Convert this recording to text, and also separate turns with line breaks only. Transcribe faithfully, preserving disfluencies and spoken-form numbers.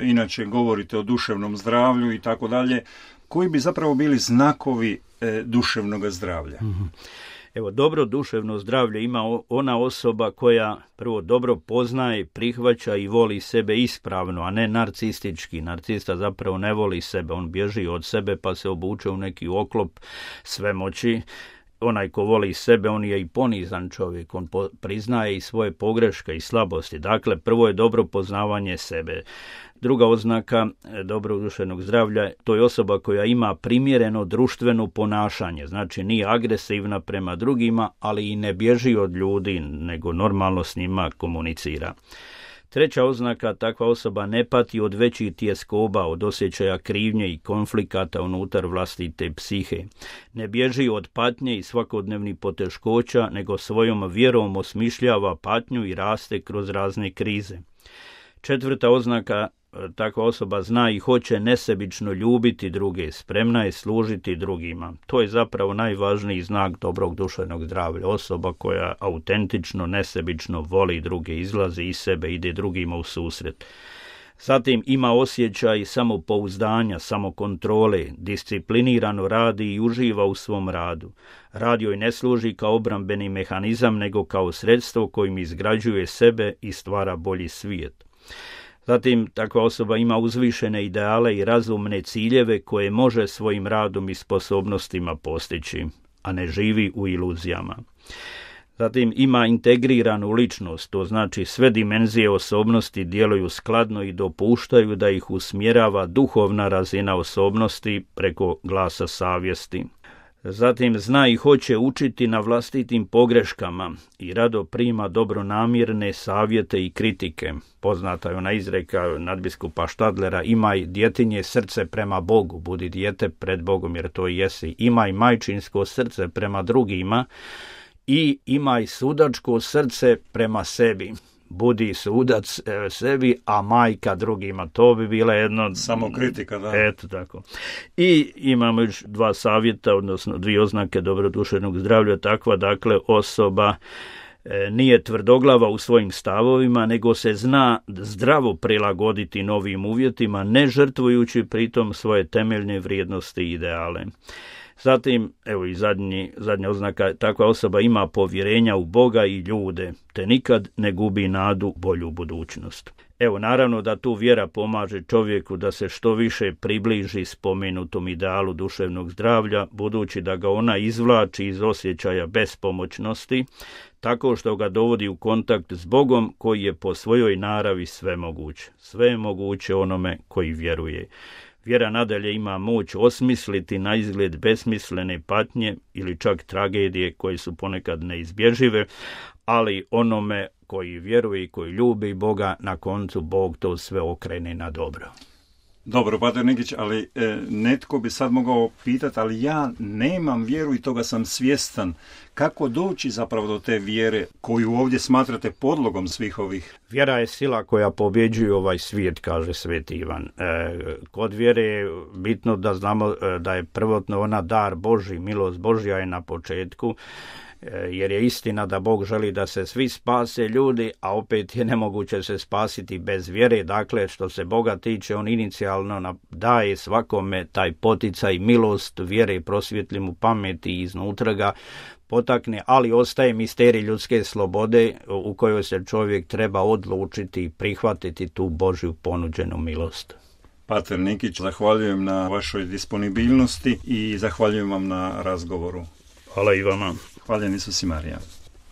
inače govorite o duševnom zdravlju i tako dalje, koji bi zapravo bili znakovi e, duševnog zdravlja?
Mm-hmm. Evo, dobro duševno zdravlje ima ona osoba koja prvo dobro poznaje, prihvaća i voli sebe ispravno, a ne narcistički. Narcista zapravo ne voli sebe, on bježi od sebe pa se obuče u neki oklop svemoći. Onaj ko voli sebe, on je i ponizan čovjek, on po, priznaje i svoje pogreške i slabosti. Dakle, prvo je dobro poznavanje sebe. Druga oznaka dobrog duševnog zdravlja, to je osoba koja ima primjereno društveno ponašanje, znači nije agresivna prema drugima, ali i ne bježi od ljudi, nego normalno s njima komunicira. Treća oznaka, takva osoba ne pati od većih tjeskoba, od osjećaja krivnje i konflikata unutar vlastite psihe. Ne bježi od patnje i svakodnevnih poteškoća, nego svojom vjerom osmišljava patnju i raste kroz razne krize. Četvrta oznaka, takva osoba zna i hoće nesebično ljubiti druge, spremna je služiti drugima. To je zapravo najvažniji znak dobrog duševnog zdravlja. Osoba koja autentično, nesebično voli druge, izlazi iz sebe, ide drugima u susret. Zatim ima osjećaj samopouzdanja, samokontrole, disciplinirano radi i uživa u svom radu. Rad joj ne služi kao obrambeni mehanizam, nego kao sredstvo kojim izgrađuje sebe i stvara bolji svijet. Zatim, takva osoba ima uzvišene ideale i razumne ciljeve koje može svojim radom i sposobnostima postići, a ne živi u iluzijama. Zatim, ima integriranu ličnost, to znači sve dimenzije osobnosti djeluju skladno i dopuštaju da ih usmjerava duhovna razina osobnosti preko glasa savjesti. Zatim zna i hoće učiti na vlastitim pogreškama i rado prima dobronamjerne savjete i kritike. Poznata je ona izreka nadbiskupa Štadlera, imaj djetinje srce prema Bogu, budi dijete pred Bogom jer to jesi. Imaj majčinsko srce prema drugima i imaj sudačko srce prema sebi. Budi sudac e, sebi, a majka drugima. To bi bila jedno...
Samo kritika, da.
Eto tako. I imamo još dva savjeta, odnosno dvije oznake dobroduševnog zdravlja. Takva, dakle, osoba e, nije tvrdoglava u svojim stavovima, nego se zna zdravo prilagoditi novim uvjetima, ne žrtvujući pritom svoje temeljne vrijednosti i ideale. Zatim, evo i zadnji, zadnja oznaka, takva osoba ima povjerenja u Boga i ljude, te nikad ne gubi nadu bolju budućnost. Evo, naravno da tu vjera pomaže čovjeku da se što više približi spomenutom idealu duševnog zdravlja, budući da ga ona izvlači iz osjećaja bespomoćnosti, tako što ga dovodi u kontakt s Bogom koji je po svojoj naravi svemoguć. Sve je moguće onome koji vjeruje. Vjera nadalje ima moć osmisliti na izgled besmislene patnje ili čak tragedije koje su ponekad neizbježive, ali onome koji vjeruje i koji ljubi Boga, na koncu Bog to sve okrene na dobro.
Dobro, Pater Nikić, ali e, netko bi sad mogao pitati, ali ja nemam vjeru i toga sam svjestan. Kako doći zapravo do te vjere koju ovdje smatrate podlogom svih ovih?
Vjera je sila koja pobjeđuje ovaj svijet, kaže Sveti Ivan. E, kod vjere je bitno da znamo e, da je prvotno ona dar Božji, milost Božja je na početku, jer je istina da Bog želi da se svi spase ljudi, a opet je nemoguće se spasiti bez vjere. Dakle, što se Boga tiče, on inicijalno daje svakome taj poticaj, milost, vjere, prosvjetli mu pameti i iznutra ga potakne, ali ostaje misterij ljudske slobode u kojoj se čovjek treba odlučiti i prihvatiti tu Božju ponuđenu milost.
Pater Nikić, zahvaljujem na vašoj disponibilnosti i zahvaljujem vam na razgovoru.
Hvala i vama.
Hvaljen Isus i Marija.